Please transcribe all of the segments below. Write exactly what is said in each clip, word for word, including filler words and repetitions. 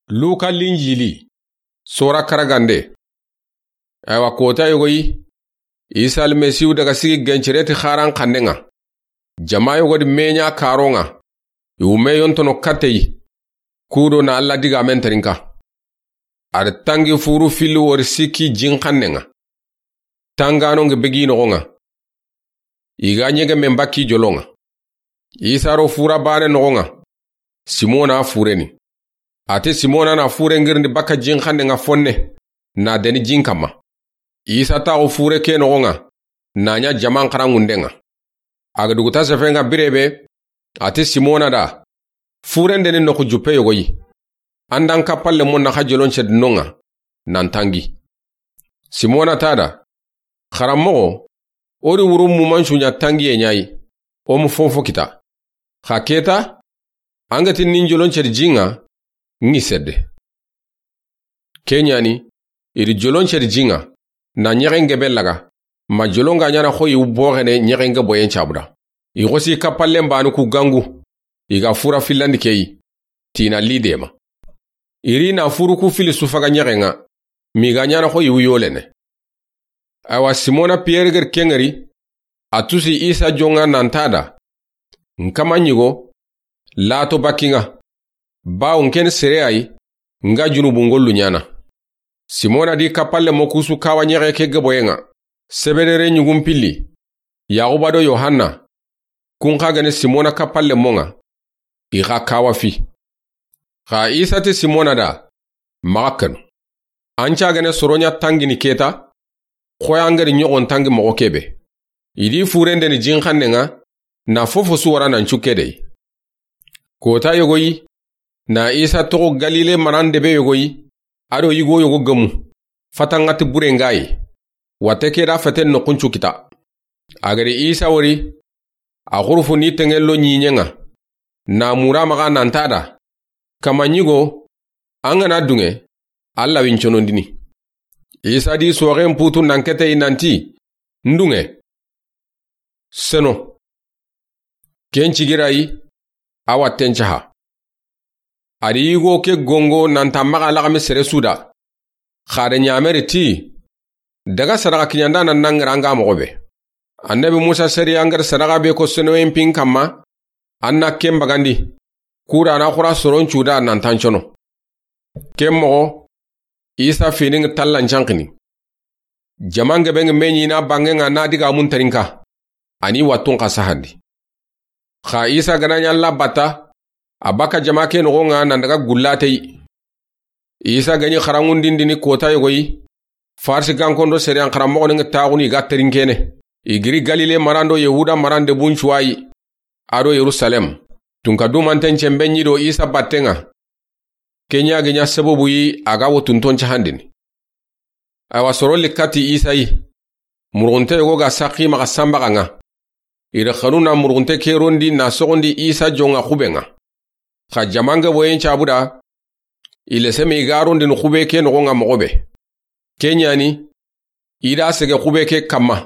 Luka Linjili, sora karagande. Awa kota yogoyi, Isa Almasihu daga sigi gencere ti xaran xannen ŋa. Jama yogo di meɲa karon ŋa, i wume yontono kateyi, kudo na Alla digamen terinka. A da tangi furu filli wori sikki jin xannen ŋa. Tangano ngi begi noxon ŋa. I ga ɲege men bakki jolon ŋa. Isa ro fura bane noxon ŋa. Simona fureni. A ti Simona na fure ngirindi bakka jin xannen ŋa fonne, na deni jin kamma. Isa taxu fure ke noxon ŋa, na ɲa jaman xarangunden ŋa. A ga duguta sefen ŋa birebe, a ti Simona da, furen deni noxu juppe yogoyi. An da n kappalle mo naxa jolon cedi non ŋa, nan tangi. Simona ta da, Xaranmoxo, o di wuru muman suɲa tangiye ɲayi, o mu fonfo kita. Xa keta, an ga ti nin jolon cedi jin ŋa, ŋi sedde. Ke ɲani, i di jolon cedi jin ŋa, na ɲexen gebe laga, ma jolon ga ɲana xo i wu boxene ɲexen geboyen cabuda. I xosi kappallen bani ku gangu, i ga fura fillandi keyi, tina lidema. I ri na furu ku fili sufaga ɲexen ŋa, mi ga ɲana xo i wu yolene. Awa Simona Piyeri geri kengeri, a tusi Isa jon ŋa nan ta da, N kama ɲigo, lato bakki ŋa, bawo n ken sere ayi, n ga junubun gollu ɲana. Simona di kappalle mo kusu kawa ɲexe ke geboyen ŋa, Sebedere ɲugun pilli, Yaxuba do Yohanna, kun xa gene Simona kappalle mo ŋa, i xa kawa fi. Xa Isa ti Simona da, Maxa kanu. An cagene soroɲa tangini keta, xoya ngeri ɲoxon tangi moxo kebe. I di furendeni jin xannen ŋa, na fofo su wara nan cukke dey. Kota yogoyi, na Isa toxo Galile maran debe yogoyi, a do yigo yogo gemu, fatanŋati bure ngayi, watte ke da feten noxun cu kita. A geri Isa wori, a xurufu ni tenŋen lo ɲiɲen ŋa, na mura maxa nan ta da, Kama ɲigo, an ga na dunŋe, Alla win conondini. Isa di soxen putu nan keteyi nanti, N dunŋe. Seno. Ken cigirayi, a watten caha. A di yigo ke gongo nan ta maxa laxami sere su da. Xa da ɲameri ti, Daga sadaxa kiɲanda nan nangiranga moxo be. Annabi Musa sariya ngeri sadaxa be ko senoyen pin kamma, an na ken bagandi. Kura na xura soron cuda nan tancono. Ken moxo, Isa fini ngi tallan cankini. Jaman gebe ngi meɲi na bangen ŋa na digamun terinka. A ni wattun xa sahandi. Xa Isa gana ɲa Alla batta, a bakka jama ke noxon ŋa nan daga gullateyi. Isa ga ɲi xarangundindini kota yogoyi, Farisi gankondo seriyan xaranmoxoni ngi taxuni i ga terinkene. I giri Galile maran do Yahuda maran debun cuwayi, a do Yerusalem. Tunka dumanten cembe ɲi do Isa batten ŋa. Ke ɲa gi ɲa sababu yi a ga wo tunton cahandini. Awa soro likkati Isa yi. Murxunte yogo ga saxi maxa sanbaxa ŋa. I da xanu na murxunte ke rondi na soxondi Isa jon ŋa xuben ŋa. Xa jaman geboyen cabuda, i leseme i ga rondini xube ke noxon ŋa moxo be. Ke ɲani, i da sege xube ke kamma,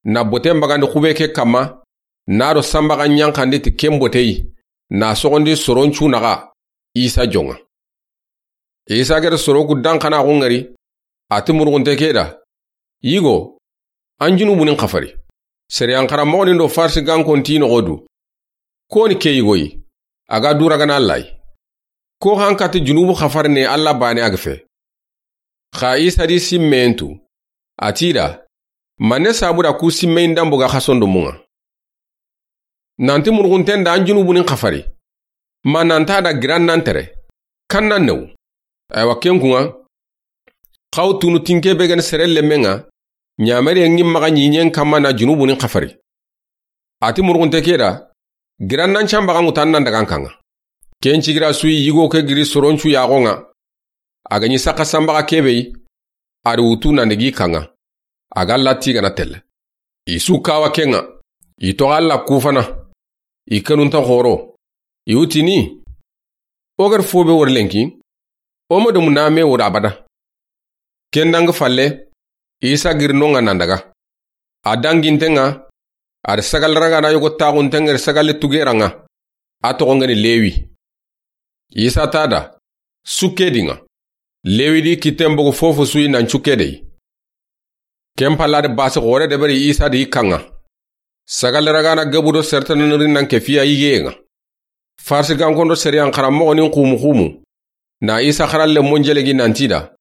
na boten bagandi xube ke kamma, na do sanbaxa ɲanxandi ti ken boteyi, na soxondi soron cu naxa Isa jon ŋa. Isa geri soro ku danxanaxu ngeri, a ti murxunte ke da, Yigo, an junubunin xafari. Seriyan xaranmoxonin do Farisi gankon ti noxo du. Koni ke yigoyi, a ga duragana Alla yi. Ko xa n kati junubu xafarine Alla bane a ga fe. Xa Isa di simmeyen tu, a ti da, Manne sabuda ku simmeyin dambu ga xason do mun ŋa? Nanti murxunten da an junubunin xafari. Ma nan ta da giran nan tere. Kan nan newu. Aywa ken kun ŋa. Xaw tunu tinke be gani sere lemmen ŋa. Ɲameriyen ŋi maxa ɲiɲen kamma na junubunin xafari. A ti murxunte ke da, giran nan canbaxa ŋutan nan dagan kan ŋa. Ken cigira suyi yigo ke giri soron cu yaxon ŋa. A ga ɲi saxa sanbaxa kebe yi, a di wutu nan digi kan ŋa. A ga latti gana telle. I su kawa ken ŋa. I toxo Alla kufana. I kanunta xoro. I wutini. O gari fo be wori lenki. O ma domu na me wori abada. Ken dangi falle, Isa giri non ŋa nan daga. A danginten ŋa, a di sagal ragana yogo taxunten ŋa ri sagale tugeran ŋa. A toxon ŋa ni Lewi. Isa ta da, Sukke di ŋa. Lewi di kitten bogu fofo su yi nan cukke de yi. Ken palla de basi xoore deberi Isa di i kaŋa. Sagalle ragana gebu do sertana niri nan ke fiya yigeye ŋa. Farsi gankondo seriyan xaranmoxo nin xumu xumu na Isa xaran lenmon jelegi nanti da,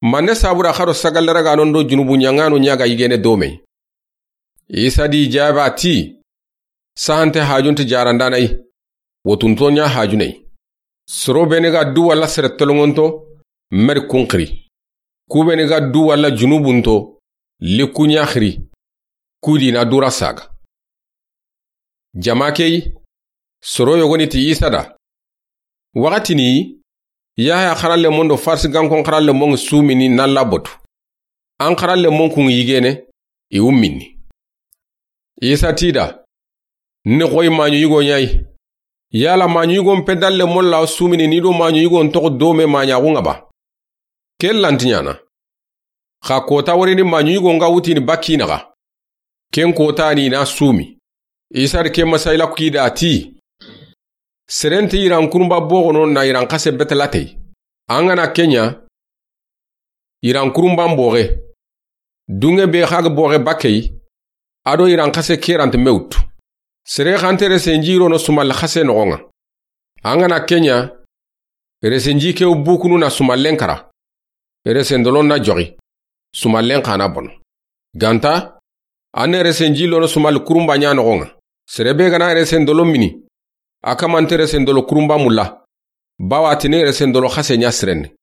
manne sabura xa do sagalle raganon do junubu ɲaŋano ɲa ga yigene domey. Isa di jaba ti, sahante hajunti jarandanayi, wotunto ɲa hajuney. Soro beni ga du walla sere tolongonto, meri kun xiri. Ku beni ga du walla junubunto, likku ɲa xiri. Ku di na dura saga. Jama key, soro yogoni ti Isa da, waxati ni, Yahaya xaran lenmon do Farsi gankon xaran lenmon sumini nan labotu. An xaran lenmon kun yigene, i wummini. Isa ti da, ni xoyi maɲu yigo ɲayi. Yala maɲu yigon pedan lenmon la sumini ni do maɲu yigon toxo dome maɲaxu ŋa ba? Ken lanti ɲana. Xa kota warini maɲu yigon ga wutini bakki naxa. Ken kota ni na sumi. Isa di ke masayila ku ki da ti, serenti iran kurumba boxono na iran xase betelatey. An ga na ke ɲa, iran kurumban boxe. Dunge be xa ga boxe bakkey, a do iran xase kerante mewtu. Sere xante resenji rono sumalle xase noxon ŋa. An ga na ke ɲa, resenji kew bukunu na sumallen kara. Resendolon na joxi. Sumallen xa na bono. Ganta, an ne resenji lono sumalle kurumba ɲa noxon ŋa. Sere be ga na resendolo mini, a kamante resendolo kurumba mulla. Bawa tini resendolo xase ɲa sirenne.